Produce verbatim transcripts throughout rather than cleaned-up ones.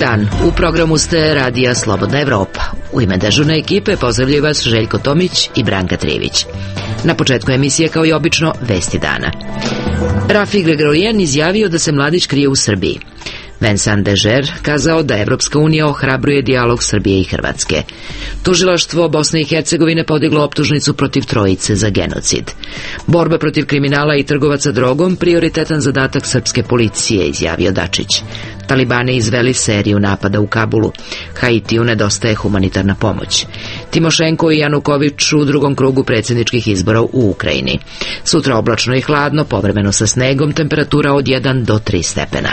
dan, u programu ste Radija Slobodna Evropa. U ime dežurne ekipe pozdravljaju vas Željko Tomić i Branka Trivić. Na početku emisije, kao i obično, vesti dana. Rafi Gregorijan izjavio da se Mladić krije u Srbiji. Vincent Dežer kazao da Evropska unija ohrabruje dijalog Srbije i Hrvatske. Tužilaštvo Bosne i Hercegovine podiglo optužnicu protiv trojice za genocid. Borba protiv kriminala i trgovaca drogom prioritetan zadatak srpske policije, izjavio Dačić. Talibani izveli seriju napada u Kabulu. Haitiju nedostaje humanitarna pomoć. Timošenko i Januković u drugom krugu predsjedničkih izbora u Ukrajini. Sutra oblačno i hladno, povremeno sa snegom, temperatura od jedan do tri stepena.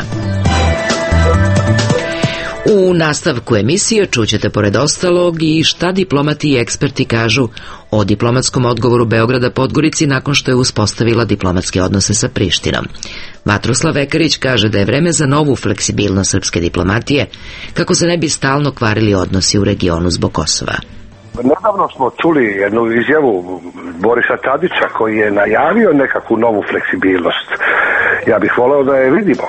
U nastavku emisije čućete pored ostalog i šta diplomati i eksperti kažu o diplomatskom odgovoru Beograda Podgorici nakon što je uspostavila diplomatske odnose sa Prištinom. Vatroslav Vekarić kaže da je vreme za novu fleksibilnost srpske diplomatije kako se ne bi stalno kvarili odnosi u regionu zbog Kosova. Nedavno smo čuli jednu izjavu Borisa Tadića koji je najavio nekakvu novu fleksibilnost. Ja bih voleo da je vidimo.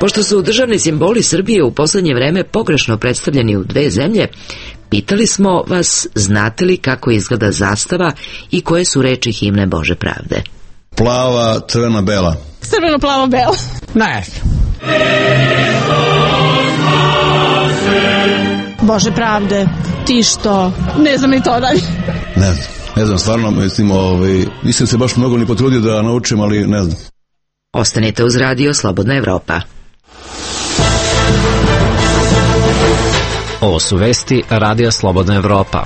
Pošto su državni simboli Srbije u poslednje vreme pogrešno predstavljeni u dve zemlje, pitali smo vas znate li kako izgleda zastava i koje su reči himne Bože pravde. Plava, crvena, bela. Crveno, plavo, bela. Ne. Bože pravde, ti što? Ne znam ni to dalje. Ne znam, ne znam, stvarno, mislim, ovaj, nisam se baš mnogo ni potrudio da naučim, ali ne znam. Ostanite uz Radio Slobodna Evropa. Ovo su vesti Radija Slobodna Evropa.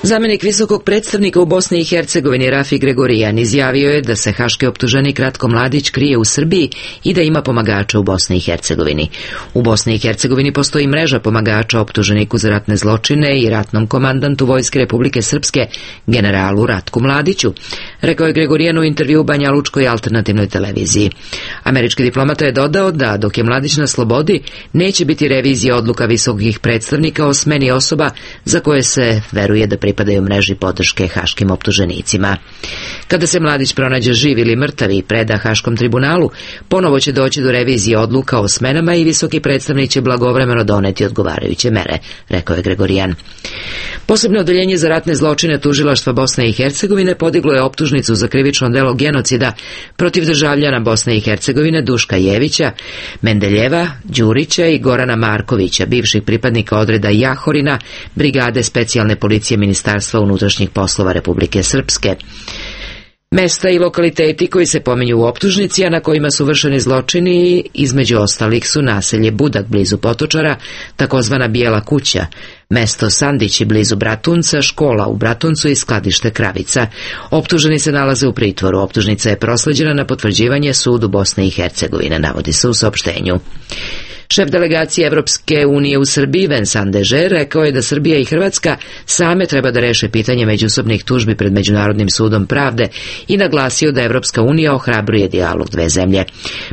Zamenik visokog predstavnika u Bosni i Hercegovini Rafi Gregorijan izjavio je da se haški optuženik Ratko Mladić krije u Srbiji i da ima pomagača u Bosni i Hercegovini. U Bosni i Hercegovini postoji mreža pomagača optuženiku za ratne zločine i ratnom komandantu Vojske Republike Srpske, generalu Ratku Mladiću, rekao je Gregorijan u intervju u Banjalučkoj alternativnoj televiziji. Američki diplomata je dodao da dok je Mladić na slobodi, neće biti revizija odluka visokih predstavnika o smeni osoba za koje se veruje da pripadaju mreži podrške haškim optuženicima. Kada se Mladić pronađe živ ili mrtav i preda Haškom tribunalu, ponovo će doći do revizije odluka o smenama i visoki predstavnik će blagovremeno doneti odgovarajuće mere, rekao je Gregorijan. Posebno odeljenje za ratne zločine tužilaštva Bosne i Hercegovine podiglo je optužnicu za krivično delo genocida protiv državljana Bosne i Hercegovine Duška Jevića, Mendeljeva, Đurića i Gorana Markovića, bivših pripadnika odreda Jahorina, brigade specijalne policije Ministarstva unutrašnjih poslova Republike Srpske. Mesta i lokaliteti koji se pominju u optužnici, a na kojima su vršeni zločini, između ostalih su naselje Budak blizu Potočara, takozvana Bijela kuća, mesto Sandići blizu Bratunca, škola u Bratuncu i skladište Kravica. Optuženi se nalaze u pritvoru. Optužnica je prosleđena na potvrđivanje sudu Bosne i Hercegovine, navodi se u saopštenju. Šef delegacije Evropske unije u Srbiji, Vincent Dežer, rekao je da Srbija i Hrvatska same treba da reše pitanje međusobnih tužbi pred Međunarodnim sudom pravde i naglasio da Evropska unija ohrabruje dijalog dve zemlje.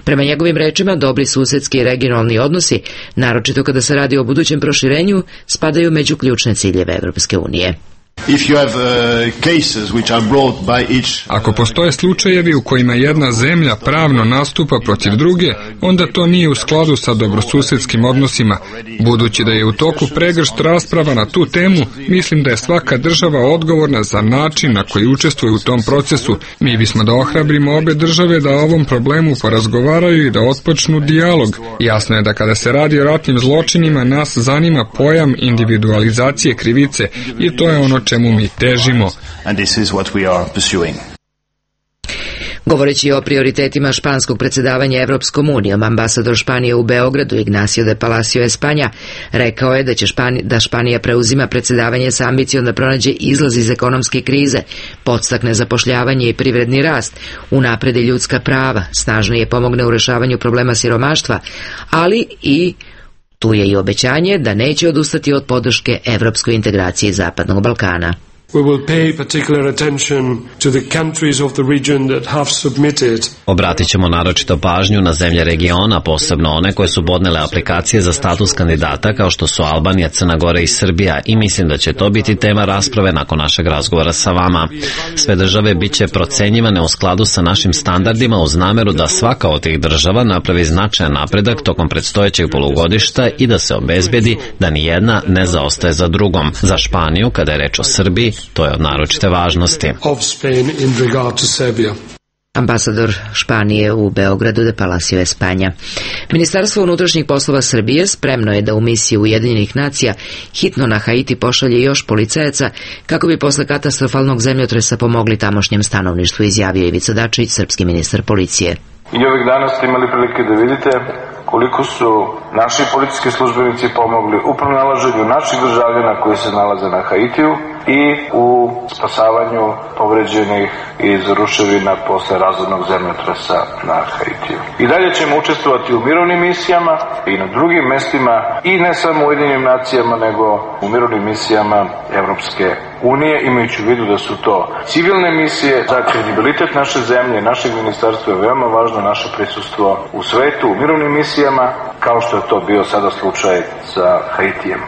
Prema njegovim rečima, dobri susedski i regionalni odnosi, naročito kada se radi o budućem proširenju, spadaju među ključne ciljeve Evropske unije. Ako postoje slučajevi u kojima jedna zemlja pravno nastupa protiv druge, onda to nije u skladu sa dobrosusedskim odnosima. Budući da je u toku pregršt rasprava na tu temu, mislim da je svaka država odgovorna za način na koji učestvuje u tom procesu. Mi bismo da ohrabrimo obe države da o ovom problemu porazgovaraju i da otpočnu dijalog. Jasno je da kada se radi o ratnim zločinima, nas zanima pojam individualizacije krivice i to je ono čemu mi težimo. Govoreći o prioritetima španskog predsjedavanja Evropskom unijom, ambasador Španije u Beogradu Ignacio de Palacio Espanja rekao je da će Španija, da Španija preuzima predsjedavanje sa ambicijom da pronađe izlaz iz ekonomske krize, podstakne zapošljavanje i privredni rast, unapredi ljudska prava, snažnije pomogne u rešavanju problema siromaštva, ali i tu je i obećanje da neće odustati od podrške evropskoj integraciji Zapadnog Balkana. We will pay particular attention to the countries of the region that have submitted. Obratit ćemo naročito pažnju na zemlje regiona, posebno one koje su podnele aplikacije za status kandidata kao što su Albanija, Crna Gora i Srbija, i mislim da će to biti tema rasprave nakon našeg razgovora sa vama. Sve države bit će procenjivane u skladu sa našim standardima uz nameru da svaka od tih država napravi značajan napredak tokom predstojećeg polugodišta i da se obezbedi da ni jedna ne zaostaje za drugom. Za Španiju, kada je reč o Srbiji, to je od naročite važnosti. Ambasador Španije u Beogradu de Palacio Espanja. Ministarstvo unutrašnjih poslova Srbije spremno je da u misiju Ujedinjenih nacija hitno na Haiti pošalje još policajaca kako bi posle katastrofalnog zemljotresa pomogli tamošnjem stanovništvu, izjavio Ivica Dačić, srpski ministar policije. I ovih dana ste imali prilike da vidite koliko su naši policijski službenici pomogli u pronalaženju naših državljana koji se nalaze na Haitiju i u spasavanju povređenih iz ruševina posle razornog zemljotresa na Haitiju. I dalje ćemo učestvovati u mirovnim misijama i na drugim mestima, i ne samo u Ujedinjenim nacijama, nego u mirovnim misijama Evropske unije, imajući u vidu da su to civilne misije. Za kredibilitet naše zemlje, našeg ministarstva je veoma važno naše prisustvo u svetu, u mirovnim misijama, kao što je to bio sada slučaj sa Haitijem.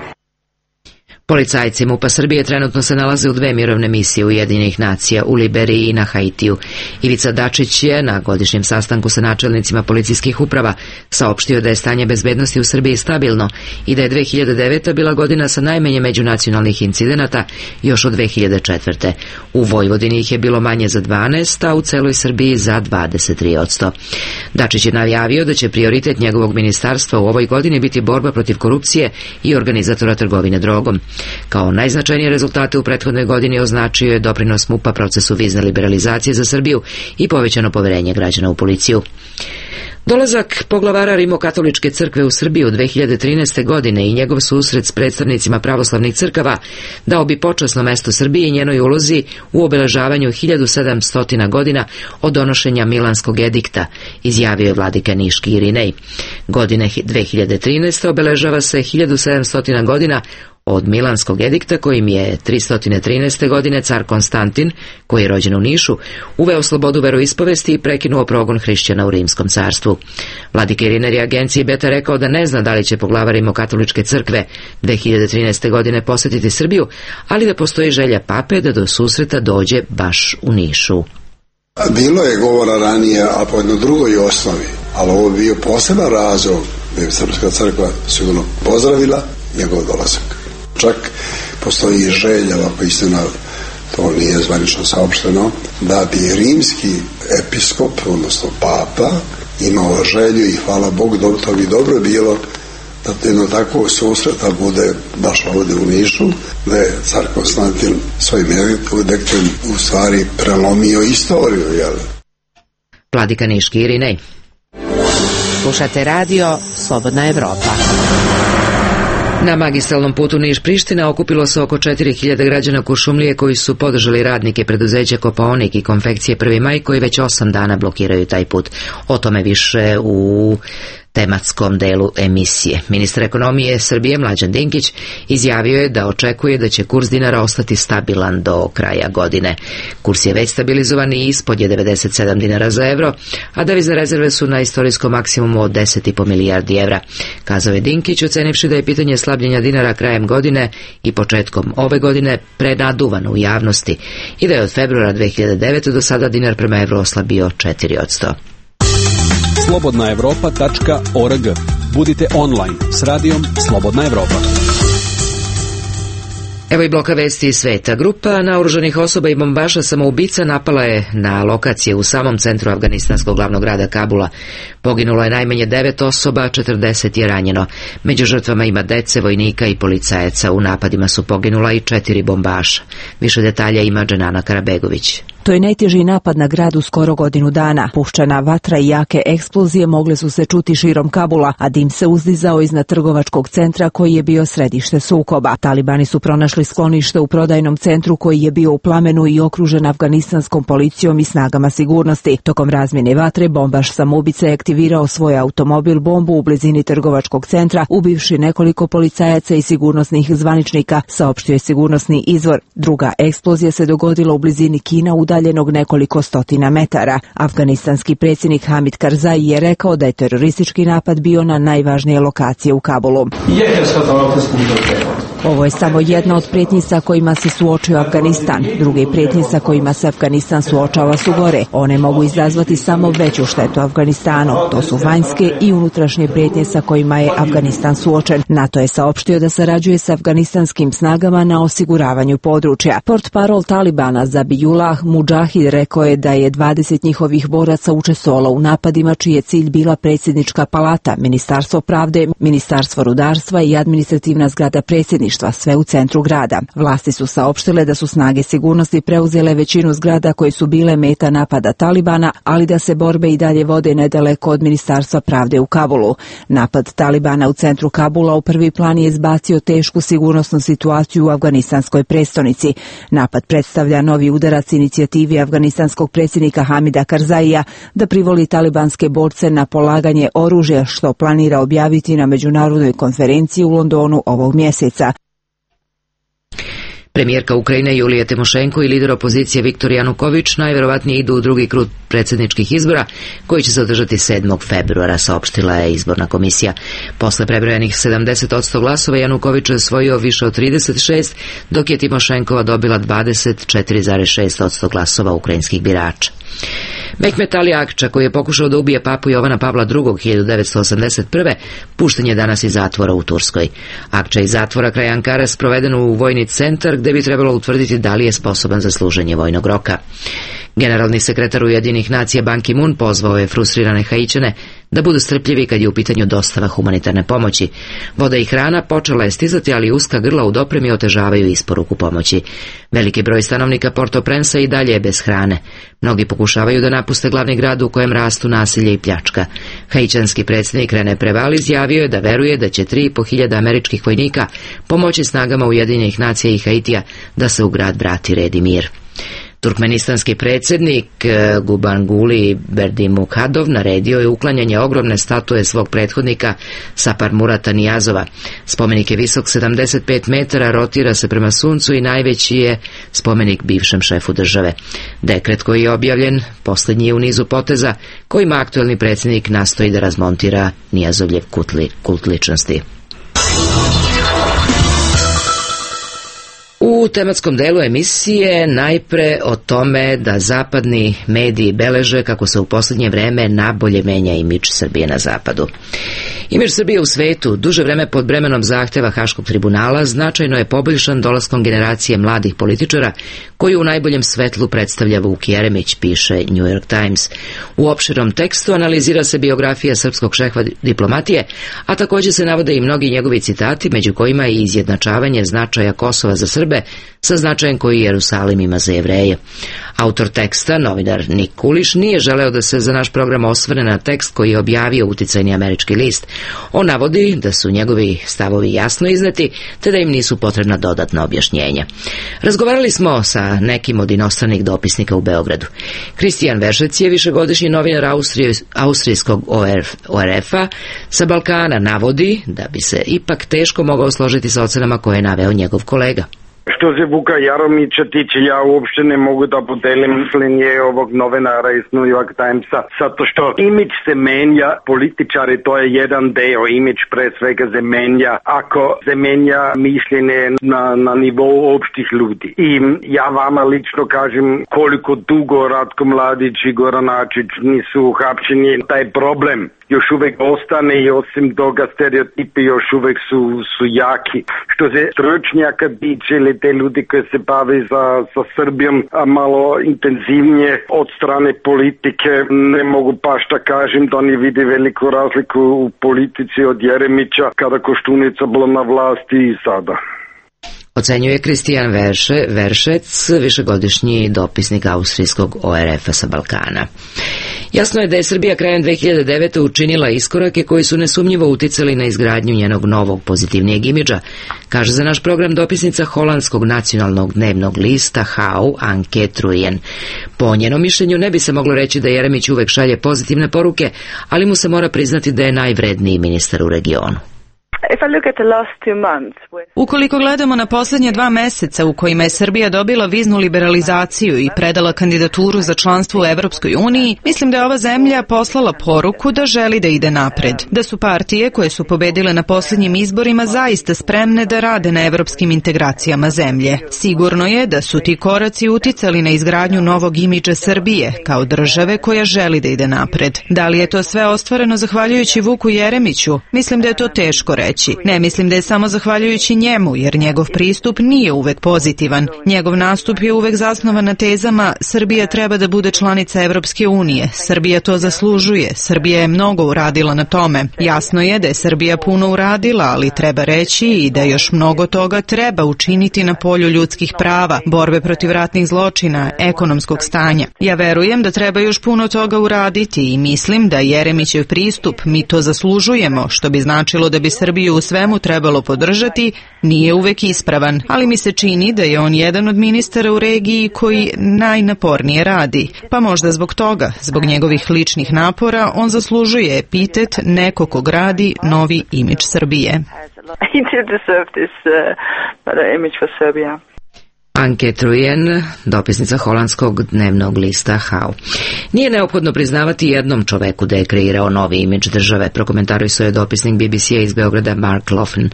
Policajci MUP-a Srbije trenutno se nalaze u dve mirovne misije Ujedinjenih nacija, u Liberiji i na Haitiju. Ivica Dačić je na godišnjem sastanku sa načelnicima policijskih uprava saopštio da je stanje bezbednosti u Srbiji stabilno i da je dve hiljade deveta bila godina sa najmanje međunacionalnih incidenata još od dve hiljade četvrte. U Vojvodini ih je bilo manje za dvanaest, a u celoj Srbiji za dvadeset tri posto. Dačić je najavio da će prioritet njegovog ministarstva u ovoj godini biti borba protiv korupcije i organizatora trgovine drogom. Kao najznačajnije rezultate u prethodnoj godini označio je doprinos MUP-a procesu vizne liberalizacije za Srbiju i povećano poverenje građana u policiju. Dolazak poglavara Rimokatoličke crkve u Srbiju dve hiljade trinaeste. godine i njegov susret s predstavnicima pravoslavnih crkava dao bi počasno mesto Srbiji i njenoj ulozi u obeležavanju hiljadu sedamsto godina od donošenja Milanskog edikta, izjavio je vladika niški Irinej. Godine dve hiljade trinaeste. obeležava se hiljadu sedamsto godina od Milanskog edikta kojim je tristo trinaeste. godine car Konstantin, koji je rođen u Nišu, uveo slobodu veroispovesti i prekinuo progon hrišćana u Rimskom carstvu. Vladika Irinej je agenciji Beta rekao da ne zna da li će poglavar Rimokatoličke crkve dve hiljade trinaeste. godine posetiti Srbiju, ali da postoji želja pape da do susreta dođe baš u Nišu. Bilo je govora ranije, a po jednoj drugoj osnovi, ali ovo je bio poseban razlog da je Srpska crkva sigurno pozdravila njegov dolazak. Čak postoji želja, ako istina to nije zvanično saopšteno, da bi rimski episkop, odnosno papa, imao želju i hvala Bogu, to bi dobro bilo da jedno takvo susreta bude baš ovdje u Nišu, da je car Konstantin svojim ediktom u stvari prelomio istoriju, jel? Vladika niški Irinej. Slušate radio Slobodna Evropa. Na magistralnom putu Niš-Priština okupilo se oko četiri hiljade građana Kuršumlije koji su podržali radnike preduzeća Kopaonik i konfekcije Prvi maj koji već osam dana blokiraju taj put. O tome više u tematskom delu emisije. Ministar ekonomije Srbije Mlađan Dinkić izjavio je da očekuje da će kurs dinara ostati stabilan do kraja godine. Kurs je već stabilizovan i ispod je devedeset sedam dinara za evro, a devizne rezerve su na istorijskom maksimumu od deset i po milijardi evra. Kazao je Dinkić, ocenivši da je pitanje slabljenja dinara krajem godine i početkom ove godine prenaduvano u javnosti i da je od februara dve hiljade devete. do sada dinar prema evru oslabio četiri posto. slobodna evropa tačka org. Budite online s radijom Slobodna Evropa. Evo i bloka vesti iz sveta. Grupa naoružanih osoba i bombaša samoubica napala je na lokacije u samom centru afganistanskog glavnog grada Kabula. Poginulo je najmanje devet osoba, četrdeset je ranjeno. Među žrtvama ima dece, vojnika i policajaca. U napadima su poginula i četiri bombaša. Više detalja ima Dženana Karabegović. To je najteži napad na grad u skoro godinu dana. Puščana vatra i jake eksplozije mogle su se čuti širom Kabula, a dim se uzdizao iznad trgovačkog centra koji je bio središte sukoba. Talibani su pronašli sklonište u prodajnom centru koji je bio u plamenu i okružen afganistanskom policijom i snagama sigurnosti. Tokom razmjene vatre bombaš samoubice je aktivirao svoj automobil bombu u blizini trgovačkog centra, ubivši nekoliko policajaca i sigurnosnih zvaničnika, saopštio je sigurnosni izvor. Druga eksplozija se dogodila u blizini Kina, udaljenog nekoliko stotina metara. Afganistanski predsjednik Hamid Karzai je rekao da je teroristički napad bio na najvažnije lokacije u Kabulu. Ovo je samo jedna od prijetnji sa kojima se suočio Afganistan. Druge prijetnje sa kojima se Afganistan suočava su gore. One mogu izazvati samo veću štetu Afganistanu. To su vanjske i unutrašnje prijetnje sa kojima je Afganistan suočen. NATO je saopštio da sarađuje sa afganistanskim snagama na osiguravanju područja. Portparol Talibana Zabihullah Mudžahid rekao je da je dvadeset njihovih boraca učestvovalo u napadima čiji je cilj bila predsjednička palata, Ministarstvo pravde, Ministarstvo rudarstva i administrativna zgrada predsjedništva, sve u centru grada. Vlasti su saopštile da su snage sigurnosti preuzele većinu zgrada koje su bile meta napada Talibana, ali da se borbe i dalje vode nedaleko od Ministarstva pravde u Kabulu. Napad Talibana u centru Kabula u prvi plan je izbacio tešku sigurnosnu situaciju u afganistanskoj prestonici. Napad predstavlja novi udarac inicijativi afganistanskog predsjednika Hamida Karzaija da privoli talibanske borce na polaganje oružja, što planira objaviti na međunarodnoj konferenciji u Londonu ovog mjeseca. Premijerka Ukrajine Julija Timošenko i lider opozicije Viktor Januković najvjerovatnije idu u drugi krug predsjedničkih izbora koji će se održati sedmog februara, saopštila je izborna komisija. Posle prebrojanih sedamdeset posto glasova Januković je osvojio više od trideset šest, dok je Timošenkova dobila dvadeset četiri zarez šest posto glasova ukrajinskih birača. Mehmet Ali Akča, koji je pokušao da ubije papu Jovana Pavla drugog. hiljadu devetsto osamdeset prve. pušten je danas iz zatvora u Turskoj. Akča iz zatvora kraj Ankare sproveden u vojni centar gde bi trebalo utvrditi da li je sposoban za služenje vojnog roka. Generalni sekretar Ujedinjenih nacija Ban Ki-moon pozvao je frustrirane Haićane da budu strpljivi kad je u pitanju dostava humanitarne pomoći. Voda i hrana počela je stizati, ali uska grla u dopremi otežavaju isporuku pomoći. Veliki broj stanovnika Port-au-Prince i dalje je bez hrane. Mnogi pokušavaju da napuste glavni grad u kojem rastu nasilje i pljačka. Haićanski predsjednik René Préval izjavio je da veruje da će tri i po hiljada američkih vojnika pomoći snagama Ujedinjenih nacija i Haitija da se u grad vrati red i mir. Turkmenistanski predsjednik Gurbanguly Berdimuhamedov naredio je uklanjanje ogromne statue svog prethodnika Saparmurata Niyazova. Spomenik je visok sedamdeset pet metara, rotira se prema suncu i najveći je spomenik bivšem šefu države. Dekret koji je objavljen posljednji je u nizu poteza kojima aktuelni predsjednik nastoji da razmontira Niyazovljev kult ličnosti. U tematskom delu emisije najpre o tome da zapadni mediji beleže kako se u posljednje vreme nabolje menja imidž Srbije na zapadu. Imidž Srbije u svetu, duže vreme pod bremenom zahteva Haškog tribunala, značajno je poboljšan dolaskom generacije mladih političara koju u najboljem svetlu predstavlja Vuk Jeremić, piše New York Times. U opširnom tekstu analizira se biografija srpskog šefa diplomatije, a također se navode i mnogi njegovi citati, među kojima je izjednačavanje značaja Kosova za Srbe sa značajem koji Jerusalim ima za Jevreje. Autor teksta, novinar Nik Kuliš, nije želeo da se za naš program osvrne na tekst koji je objavio uticajni američki list. On navodi da su njegovi stavovi jasno izneti, te da im nisu potrebna dodatna objašnjenja. Razgovarali smo sa nekim od inostranih dopisnika u Beogradu. Kristijan Veršec je višegodišnji novinar Austrije, austrijskog O R F-a sa Balkana, navodi da bi se ipak teško mogao složiti sa ocenama koje je naveo njegov kolega. Što se Vuka Jaromića tiče, ja uopšte ne mogu da podelim mišljenje ovog novinara iz New York Timesa, zato što imidž se menja, političari to je jedan deo, imidž pre svega se menja ako se menja mišljenje na, na nivou opštih ljudi. I ja vama lično kažem koliko dugo Ratko Mladić i Goran Ačić nisu uhapšeni, taj problem još uvek ostane i osim toga stereotipi još uvek su, su jaki. Što se stručnjaka tiče ili te ljudi koji se bave za, sa Srbijom a malo intenzivnije od strane politike, ne mogu pa šta kažem da oni vide veliku razliku u politici od Jeremića kada Koštunica bila na vlasti i sada. Ocenjuje Kristijan Verše, Veršec, višegodišnji dopisnik austrijskog O R F-a sa Balkana. Jasno je da je Srbija krajem dve hiljade devete. učinila iskorake koji su nesumnjivo uticali na izgradnju njenog novog pozitivnijeg imidža, kaže za naš program dopisnica holandskog nacionalnog dnevnog lista H U, Anke Truyen. Po njenom mišljenju ne bi se moglo reći da Jeremić uvek šalje pozitivne poruke, ali mu se mora priznati da je najvredniji ministar u regionu. Ukoliko gledamo na posljednje dva meseca u kojima je Srbija dobila viznu liberalizaciju i predala kandidaturu za članstvo u Evropskoj uniji, mislim da je ova zemlja poslala poruku da želi da ide napred. Da su partije koje su pobedile na posljednjim izborima zaista spremne da rade na evropskim integracijama zemlje. Sigurno je da su ti koraci uticali na izgradnju novog imidža Srbije kao države koja želi da ide napred. Da li je to sve ostvareno zahvaljujući Vuku Jeremiću? Mislim da je to teško reći. Ne mislim da je samo zahvaljujući njemu, jer njegov pristup nije uvek pozitivan. Njegov nastup je uvek zasnovan na tezama Srbija treba da bude članica Evropske unije, Srbija to zaslužuje, Srbija je mnogo uradila na tome. Jasno je da je Srbija puno uradila, ali treba reći i da još mnogo toga treba učiniti na polju ljudskih prava, borbe protiv ratnih zločina, ekonomskog stanja. Ja verujem da treba još puno toga uraditi i mislim da Jeremićev pristup mi to zaslužujemo, što bi značilo da bi Srbija u svemu trebalo podržati, nije uvek ispravan, ali mi se čini da je on jedan od ministara u regiji koji najnapornije radi. Pa možda zbog toga, zbog njegovih ličnih napora, on zaslužuje epitet neko ko gradi novi imidž Srbije. Anke Truyen, dopisnica holandskog dnevnog lista H U. Nije neophodno priznavati jednom čoveku da je kreirao novi imidž države, prokomentarisao je dopisnik B B C-a iz Beograda Mark Laughlin.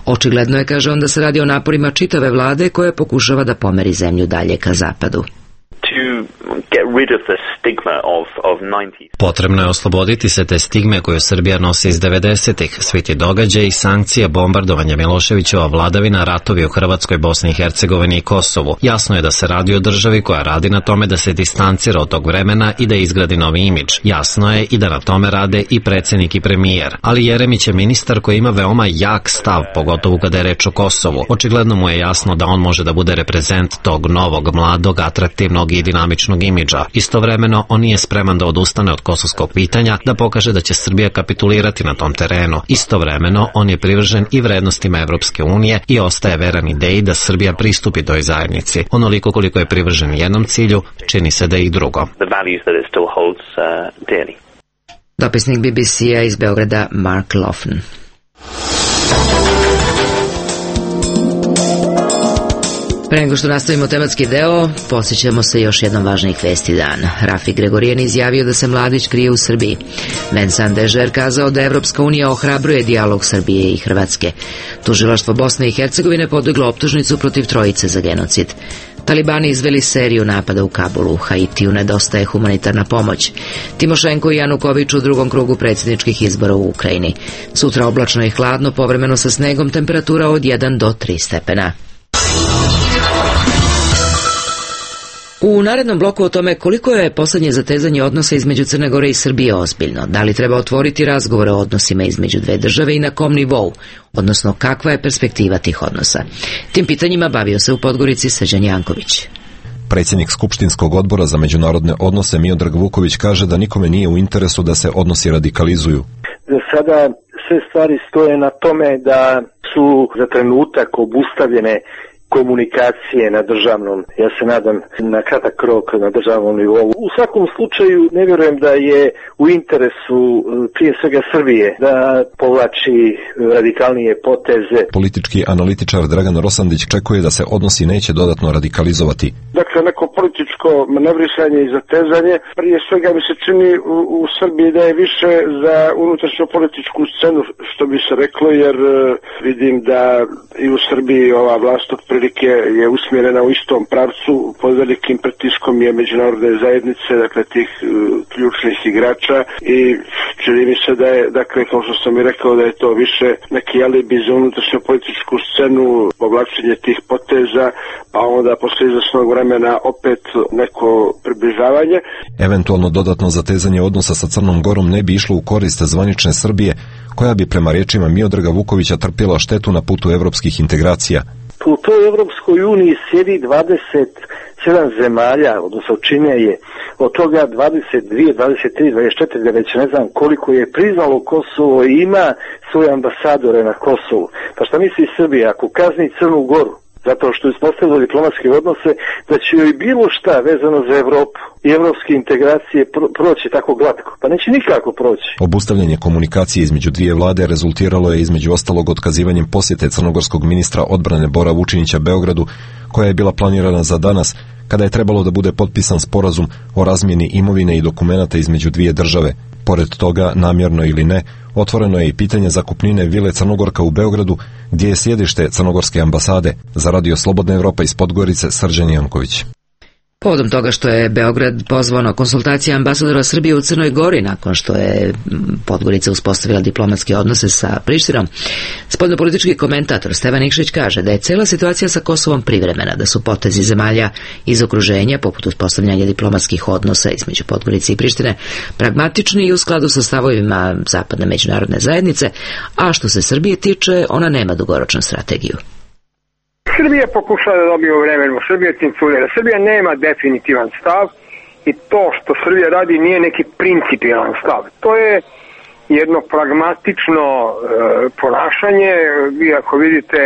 Očigledno je, kaže on, da se radi o naporima čitave vlade koja pokušava da pomeri zemlju dalje ka zapadu. Potrebno je osloboditi se te stigme koju Srbija nosi iz devedesetih, svi ti događaji, sankcije, bombardovanja Miloševićeva vladavina, ratovi u Hrvatskoj, Bosni i Hercegovini i Kosovu. Jasno je da se radi o državi koja radi na tome da se distancira od tog vremena i da izgradi novi imidž. Jasno je i da na tome rade i predsjednik i premijer. Ali Jeremić je ministar koji ima veoma jak stav, pogotovo kada je reč o Kosovu. Očigledno mu je jasno da on može da bude reprezent tog novog, mladog, atraktivnog i dinamičnog imidža. Istovremeno, on nije spreman da odustane od kosovskog pitanja, da pokaže da će Srbija kapitulirati na tom terenu. Istovremeno, on je privržen i vrednostima Evropske unije i ostaje veran ideji da Srbija pristupi toj zajednici. Onoliko koliko je privržen jednom cilju, čini se da je i drugo. Dopisnik B B C-a iz Beograda Mark Laughlin. Pre nego što nastavimo tematski deo, posjećamo se još jednom važnih vesti dana. Rafi Gregorijan izjavio da se Mladić krije u Srbiji. Vincent Dežer kazao da Evropska unija ohrabruje dijalog Srbije i Hrvatske. Tužilaštvo Bosne i Hercegovine podiglo optužnicu protiv trojice za genocid. Talibani izveli seriju napada u Kabulu, u Haitiju nedostaje humanitarna pomoć. Timošenko i Januković u drugom krugu predsjedničkih izbora u Ukrajini. Sutra oblačno i hladno, povremeno sa snegom, temperatura od jedan do tri stepena. U narednom bloku o tome koliko je poslednje zatezanje odnosa između Crne Gore i Srbije ozbiljno, da li treba otvoriti razgovore o odnosima između dve države i na kom nivou, odnosno kakva je perspektiva tih odnosa. Tim pitanjima bavio se u Podgorici Srđan Janković. Predsjednik Skupštinskog odbora za međunarodne odnose Miodrag Vuković kaže da nikome nije u interesu da se odnosi radikalizuju. Za sada sve stvari stoje na tome da su za trenutak obustavljene komunikacije na državnom, ja se nadam na kratak rok na državnom nivou. U svakom slučaju ne vjerujem da je u interesu prije svega Srbije da povlači radikalnije poteze. Politički analitičar Dragan Rosandić čekuje da se odnosi neće dodatno radikalizovati. Dakle, neko političko manevrisanje i zatezanje, prije svega mi se čini u, u Srbiji da je više za unutrašnju političku scenu, što bi se reklo, jer vidim da i u Srbiji ova vlast od prilike je usmjerena u istom pravcu, pod velikim pritiskom je međunarodne zajednice, dakle tih uh, ključnih igrača, i čini mi se da je, dakle, kao što sam i rekao, da je to više neki alibi za unutrašnju političku scenu, povlačenje tih poteza, pa onda posle izvesnog vremena opet neko približavanje. Eventualno dodatno zatezanje odnosa sa Crnom Gorom ne bi išlo u korist zvanične Srbije, koja bi prema riječima Miodraga Vukovića trpjela štetu na putu evropskih integracija. U toj Evropskoj uniji sjedi dvadeset sedam zemalja, odnosno čine je od toga dvadeset dvije, dvadeset tri, dvadeset četiri, već ne znam koliko je priznalo Kosovo i ima svoje ambasadore na Kosovu. Pa šta misli Srbija, ako kazni Crnu Goru zato što je uspostavila diplomatske odnose, da će joj bilo šta vezano za Evropu i evropske integracije pro- proći tako glatko? Pa neće nikako proći. Obustavljanje komunikacije između dvije vlade rezultiralo je između ostalog otkazivanjem posjete crnogorskog ministra odbrane Bora Vučinića Beogradu, koja je bila planirana za danas, kada je trebalo da bude potpisan sporazum o razmjeni imovine i dokumenata između dvije države. Pored toga, namjerno ili ne, otvoreno je i pitanje zakupnine vile Crnogorka u Beogradu, gdje je sjedište crnogorske ambasade. Za Radio Slobodna Evropa iz Podgorice, Srđan Janković. Povodom toga što je Beograd pozvao na konsultacije ambasadora Srbije u Crnoj Gori nakon što je Podgorica uspostavila diplomatske odnose sa Prištinom, spoljnopolitički komentator Stevan Nikšić kaže da je cela situacija sa Kosovom privremena, da su potezi zemalja iz okruženja, poput uspostavljanja diplomatskih odnosa između Podgorice i Prištine, pragmatični i u skladu sa stavovima zapadne međunarodne zajednice, a što se Srbije tiče, ona nema dugoročnu strategiju. Srbija pokušava da dobije u vremenu, Srbija cinculira. Srbija nema definitivan stav i to što Srbija radi nije neki principijalan stav. To je jedno pragmatično e, ponašanje. Vi ako vidite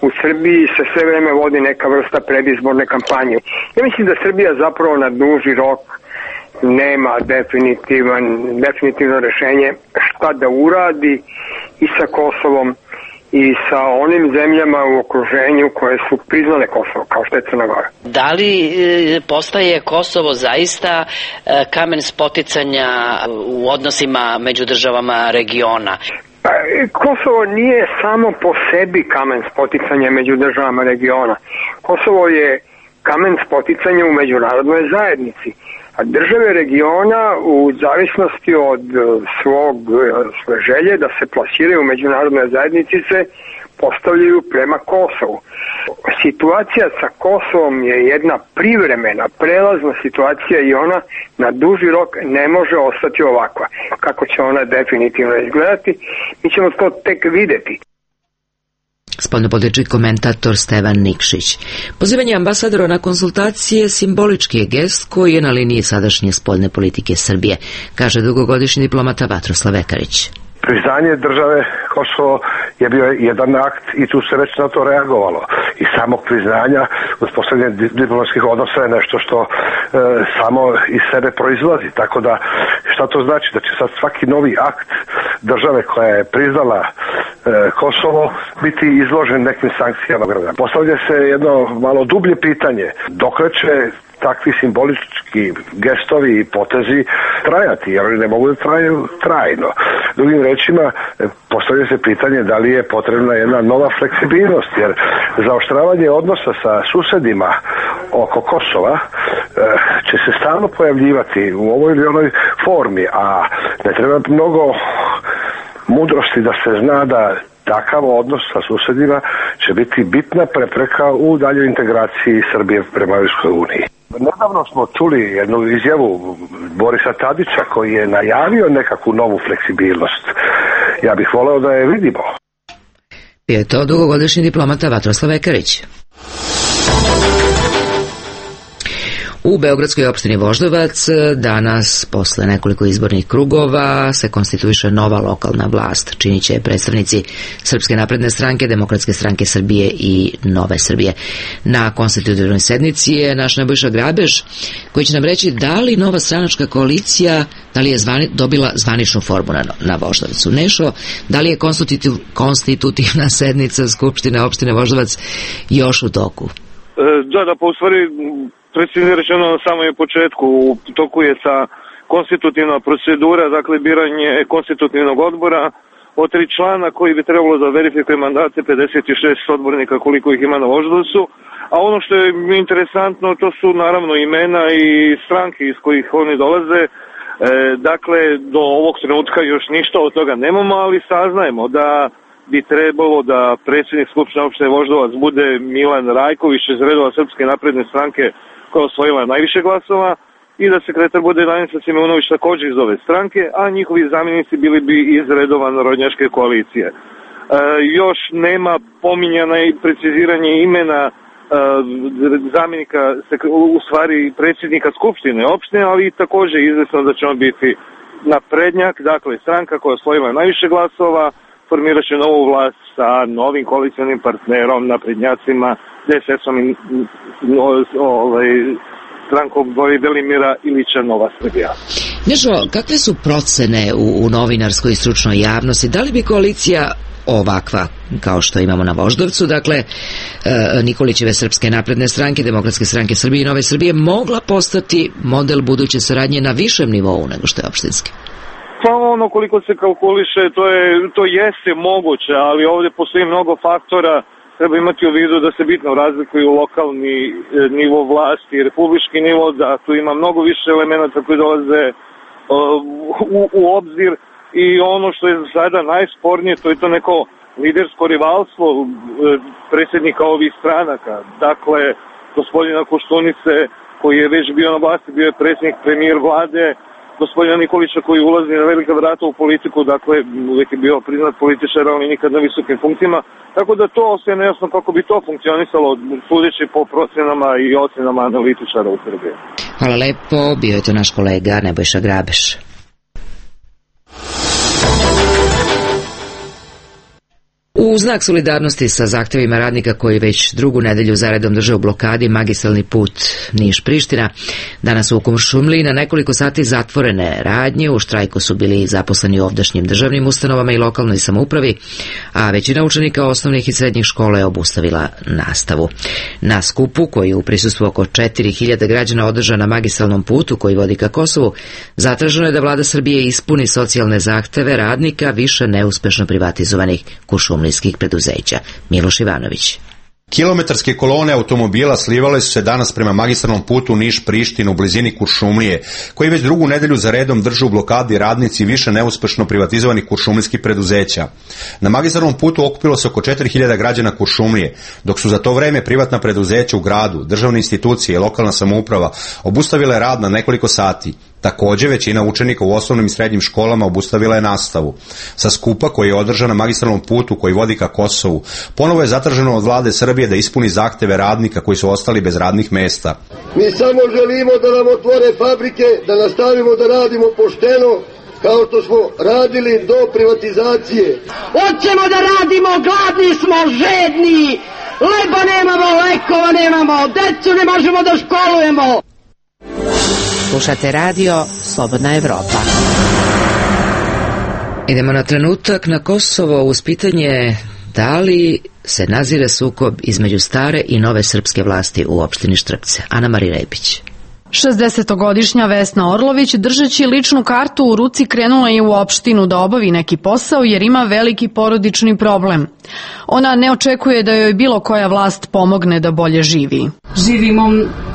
u Srbiji se sve vreme vodi neka vrsta predizborne kampanje. Ja mislim da Srbija zapravo na duži rok nema definitivan, definitivno rešenje šta da uradi i sa Kosovom i sa onim zemljama u okruženju koje su priznale Kosovo, kao što je Crna Gora. Da li postaje Kosovo zaista kamen spoticanja u odnosima među državama regiona? Kosovo nije samo po sebi kamen spoticanja među državama regiona. Kosovo je kamen spoticanja u međunarodnoj zajednici. A države regiona u zavisnosti od svog svoje želje da se plasiraju u međunarodnoj zajednici se postavljaju prema Kosovu. Situacija sa Kosovom je jedna privremena, prelazna situacija i ona na duži rok ne može ostati ovakva. Kako će ona definitivno izgledati, mi ćemo to tek videti. Spoljnopolitički komentator Stevan Nikšić. Pozivanje ambasadora na konsultacije simbolički je gest koji je na liniji sadašnje spoljne politike Srbije, kaže dugogodišnji diplomata Vatroslav Vekarić. Priznanje države Kosovo je bio jedan akt i tu se već na to reagovalo. I samog priznanja, uspostavljanje diplomatskih odnosa je nešto što e, samo iz sebe proizlazi. Tako da, šta to znači? Da će sad svaki novi akt države koja je priznala e, Kosovo biti izložen nekim sankcijama. Postavlja se jedno malo dublje pitanje. Dokle će takvi simbolički gestovi i potezi trajati, jer oni ne mogu da traju trajno. Drugim rečima, postavlja se pitanje da li je potrebna jedna nova fleksibilnost, jer zaoštravanje odnosa sa susedima oko Kosova će se stalno pojavljivati u ovoj ili onoj formi, a ne treba mnogo mudrosti da se zna da takav odnos sa susedima će biti bitna prepreka u daljoj integraciji Srbije prema Europskoj uniji. Nedavno smo čuli jednu izjavu Borisa Tadića koji je najavio nekakvu novu fleksibilnost. Ja bih voleo da je vidimo. Je to dugogodišnji diplomata Vatroslav Vekarić. U Beogradskoj opštini Voždovac danas, posle nekoliko izbornih krugova, se konstituiše nova lokalna vlast. Činit će predstavnici Srpske napredne stranke, Demokratske stranke Srbije i Nove Srbije. Na konstitutivnoj sednici je naš Nebojša Grabeš, koji će nam reći da li nova stranačka koalicija, da li je zvani, dobila zvaničnu formu na, na Voždovcu. Nešo, da li je konstitutiv, konstitutivna sednica Skupštine opštine Voždovac još u toku? Da, da, pa u stvari, precizno rečeno na samom početku, u toku je sa konstitutivna procedura, dakle biranje konstitutivnog odbora od tri člana koji bi trebalo da verifikuje mandate pedeset šest odbornika koliko ih ima na Voždovcu, a ono što je interesantno to su naravno imena i stranke iz kojih oni dolaze. E, dakle, do ovog trenutka još ništa od toga nemamo, ali saznajemo da bi trebalo da predsjednik Skupštine opštine Voždovac bude Milan Rajković iz redova Srpske napredne stranke koja osvojila najviše glasova i da sekretar bude Danica Simeunović također iz ove stranke, a njihovi zamjenici bili bi iz redova narodnjačke koalicije. E, još nema pominjana i preciziranje imena zamjenika, u stvari predsjednika Skupštine opštine, ali također izvesno da će on biti naprednjak, dakle stranka koja je osvojila najviše glasova, formirat će novu vlast sa novim koalicionim partnerom, naprednjacima, D S S-om i ovaj, strankom Velimira Ilića Nova Srbija. Nežo, kakve su procene u, u novinarskoj i stručnoj javnosti? Da li bi koalicija ovakva, kao što imamo na Voždovcu, dakle e, Nikolićeve Srpske napredne stranke, Demokratske stranke Srbije i Nove Srbije, mogla postati model buduće saradnje na višem nivou nego što je opštinski? Pa ono koliko se kalkuliše, to, je, to jeste moguće, ali ovdje postoji mnogo faktora. Treba imati u vidu da se bitno razlikuju lokalni e, nivo vlasti i republički nivo, da tu ima mnogo više elemenata koji dolaze e, u, u obzir. I ono što je za sada najspornije, to je to neko lidersko rivalstvo predsjednika ovih stranaka. Dakle, gospodina Koštunice, koji je već bio na vlasti, bio je predsjednik, premijer vlade, gospodina Nikolića koji ulazi na velika vrata u politiku, dakle, uvijek je bio priznat političar, ali nikad na visokim funkcijama. Tako da to ostaje nejasno kako bi to funkcionisalo, sudeći po procenama i ocenama analitičara u Srbiji. Hvala lepo, bio je to naš kolega Nebojša Grabeš. U znak solidarnosti sa zahtevima radnika koji već drugu nedelju zaredom drže u blokadi magistralni put Niš-Priština, danas u Kuršumliji na nekoliko sati zatvorene radnje. U štrajku su bili zaposleni u ovdašnjim državnim ustanovama i lokalnoj samoupravi, a većina učenika osnovnih i srednjih škola je obustavila nastavu. Na skupu, koji u prisustvu oko četiri hiljade građana održan na magistralnom putu koji vodi ka Kosovu, zatraženo je da vlada Srbije ispuni socijalne zahteve radnika više neuspešno privatizovanih kuršumlijskih preduzeća. Miloš Ivanović. Kilometarske kolone automobila slivale su se danas prema magistralnom putu Niš-Prištinu u blizini Kuršumlije, koji već drugu nedelju za redom drže u blokadi radnici više neuspešno privatizovanih kuršumlijskih preduzeća. Na magistralnom putu okupilo se oko četiri hiljade građana Kuršumlije, dok su za to vreme privatna preduzeća u gradu, državne institucije i lokalna samouprava obustavile rad na nekoliko sati. Također, većina učenika u osnovnim i srednjim školama obustavila je nastavu. Sa skupa koji je održan na magistralnom putu koji vodi ka Kosovu, ponovo je zatraženo od vlade Srbije da ispuni zahteve radnika koji su ostali bez radnih mesta. Mi samo želimo da nam otvore fabrike, da nastavimo da radimo pošteno, kao što smo radili do privatizacije. Hoćemo da radimo, gladni smo, žedni, leba nemamo, lekova nemamo, decu ne možemo da školujemo. Slušate radio Slobodna Evropa. Idemo na trenutak na Kosovo uz pitanje da li se nazire sukob između stare i nove srpske vlasti u opštini Štrpce. Ana Marija Repić. šezdesetogodišnja Vesna Orlović, držeći ličnu kartu u ruci, krenula je u opštinu da obavi neki posao jer ima veliki porodični problem. Ona ne očekuje da joj bilo koja vlast pomogne da bolje živi. Živimo,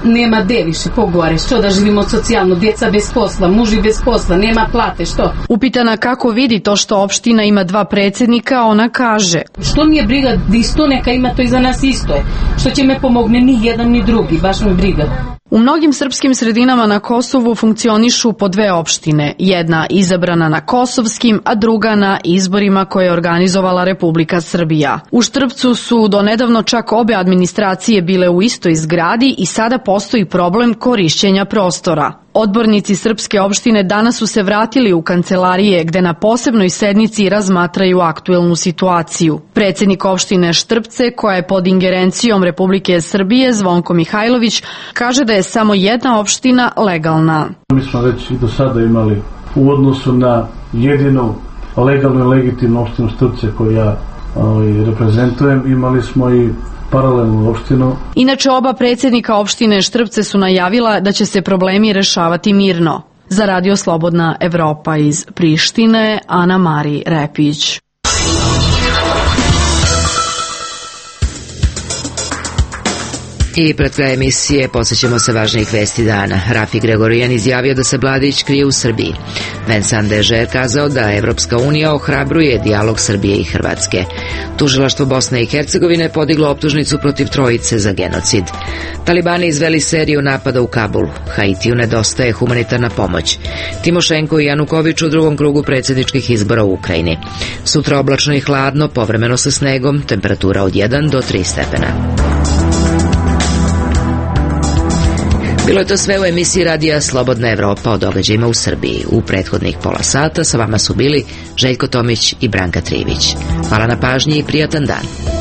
nema gde više pogore, što da živimo socijalno, djeca bez posla, muži bez posla, nema plate, što? Upitana kako vidi to što opština ima dva predsjednika, ona kaže: što mi je briga, da isto neka ima, to i za nas isto je. Što će me pomogne, ni jedan ni drugi, baš me briga. U mnogim srpskim sredinama na Kosovu funkcionišu po dve opštine, jedna izabrana na kosovskim, a druga na izborima koje je organizovala Republika Srbija. U Štrpcu su do nedavno čak obe administracije bile u istoj zgradi i sada postoji problem korišćenja prostora. Odbornici srpske opštine danas su se vratili u kancelarije gde na posebnoj sednici razmatraju aktuelnu situaciju. Predsjednik opštine Štrpce, koja je pod ingerencijom Republike Srbije, Zvonko Mihajlović, kaže da je samo jedna opština legalna. Mi smo već i do sada imali u odnosu na jedinu legalnu i legitimnu opštinu Štrpce koju ja ovaj, reprezentujem, imali smo i paralelnu opštinu. Inače, oba predsjednika opštine Štrpce su najavila da će se problemi rešavati mirno. Za Radio Slobodna Evropa iz Prištine, Ana Marija Repić. I pred kraj emisije posjećamo se važnijih vesti dana. Rafi Gregorijan izjavio da se Mladić krije u Srbiji. Vincent Deže je kazao da Evropska unija ohrabruje dijalog Srbije i Hrvatske. Tužilaštvo Bosne i Hercegovine podiglo optužnicu protiv trojice za genocid. Talibani izveli seriju napada u Kabulu. Haitiju nedostaje humanitarna pomoć. Timošenko i Januković u drugom krugu predsjedničkih izbora u Ukrajini. Sutra oblačno i hladno, povremeno sa snegom, temperatura od jedan do tri stepena. Bilo je to sve u emisiji radija Slobodna Evropa o događajima u Srbiji. U prethodnih pola sata sa vama su bili Željko Tomić i Branka Trivić. Hvala na pažnji i prijatan dan.